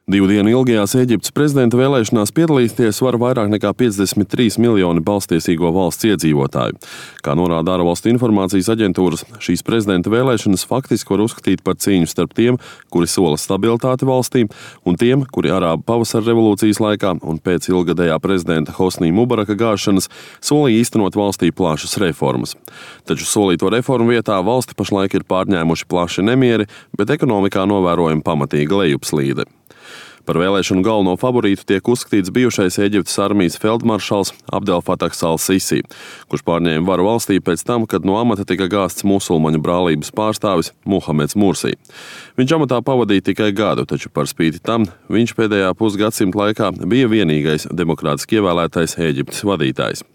2 dienu ilgajās Ēģiptes prezidenta vēlēšanās piedalīties var vairāk nekā 53 miljoni balstiesīgo valsts iedzīvotāju. Kā norāda ārvalstu informācijas aģentūras, šīs prezidenta vēlēšanas faktiski var uzskatīt par cīņu starp tiem, kuri sola stabilitāti valstī, un tiem, kuri Arābu pavasara revolūcijas laikā un pēc ilgadējā prezidenta Hosnī Mubaraka gāšanas solīja īstenot valstī plašas reformas. Taču solīto reformu vietā valsti pašlaik ir pārņēmuši plaši nemieri, bet ekonomikā novērojama pamatīga lejupslīde. Par vēlēšanu galveno favorītu tiek uzskatīts bijušais Ēģiptes armijas feldmaršals Abdel Fatahs al-Sisi, kurš pārņēma varu valstī pēc tam, kad no amata tika gāsts musulmaņu brālības pārstāvis Muhameds Mursī. Viņš amatā pavadīja tikai gadu, taču par spīti tam viņš pēdējā pusgadsimta laikā bija vienīgais demokrātiski ievēlētais Ēģiptes vadītājs.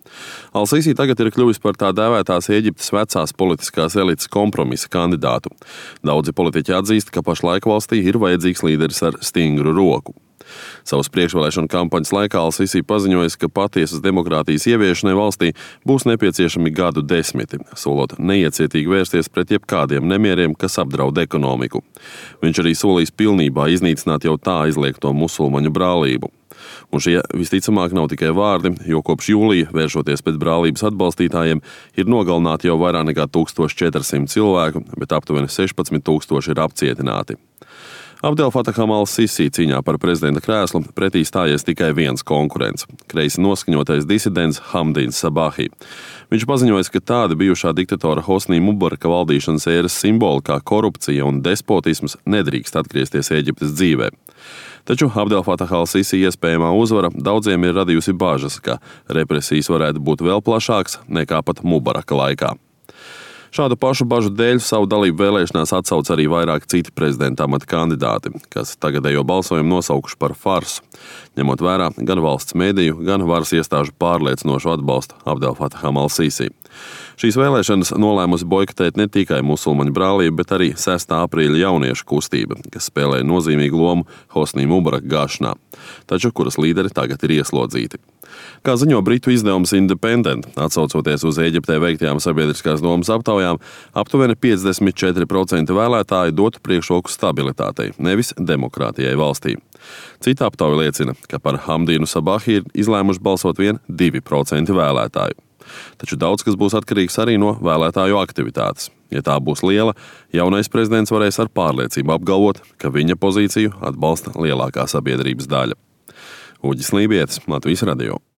Al-Sisi tagad ir kļuvis par tā dēvētās Ēģiptes vecās politiskās elites kompromisa kandidātu. Daudzi politiķi atzīst, ka pašlaik valstī ir vajadzīgs līderis ar stingru roku. Savas priekšvēlēšanu kampaņas laikā Al-Sisi paziņojis, ka patiesas demokrātijas ieviešanai valstī būs nepieciešami gadu desmiti, solot neiecietīgi vērsties pret jebkādiem nemieriem, kas apdraud ekonomiku. Viņš arī solīs pilnībā iznīcināt jau tā aizliegto musulmaņu brālību. Un šie visticamāk nav tikai vārdi, jo kopš jūlija, vēršoties pēc brālības atbalstītājiem, ir nogalināti jau vairāk nekā 1400 cilvēku, bet aptuveni 16,000 ir apcietināti. Abdel Fataham al-Sisi cīņā par prezidenta krēslu pretī stājies tikai viens konkurents – kreisi noskaņotais disidents Hamdīns Sabahi. Viņš paziņoja, ka tāda bijušā diktatora Hosnī Mubaraka valdīšanas ēras simboli kā korupcija un despotisms nedrīkst atgriezties Ēģiptes dzīvē. Taču Abdel Fatah al-Sisi iespējamā uzvara daudziem ir radījusi bažas, ka represijas varētu būt vēl plašāks nekā pat Mubaraka laikā. Šādu pašu bažu dēļ savu dalību vēlēšanās atsauc arī vairāk citi prezidenta amata kandidāti, kas tagadējo balsojumu nosaukuši par farsu, ņemot vērā gan valsts mediju, gan varas iestāžu pārliecinošu atbalstu Abdel Fataham al-Sisi. Šīs vēlēšanas nolēmusi boikotēt ne tikai musulmaņu brālību, bet arī 6. aprīļa jauniešu kustība, kas spēlēja nozīmīgu lomu Hosnī Mubaraka gāšanā, taču kuras līderi tagad ir ieslodzīti. Kā ziņo britu izdevums Independent, atsaucoties uz Ēģiptē veiktajām sabiedriskās domas aptaujām, aptuveni 54% vēlētāji dotu priekšroku stabilitātei, nevis demokrātijai valstī. Cita aptauja liecina, ka par Hamdīnu Sabahi ir izlēmuši balsot vien 2% vēlētāju. Taču daudz kas būs atkarīgs arī no vēlētāju aktivitātes. Ja tā būs liela, jaunais prezidents varēs ar pārliecību apgalvot, ka viņa pozīciju atbalsta lielākā sabiedrības daļa. Uģis Lībietis, Latvijas radio.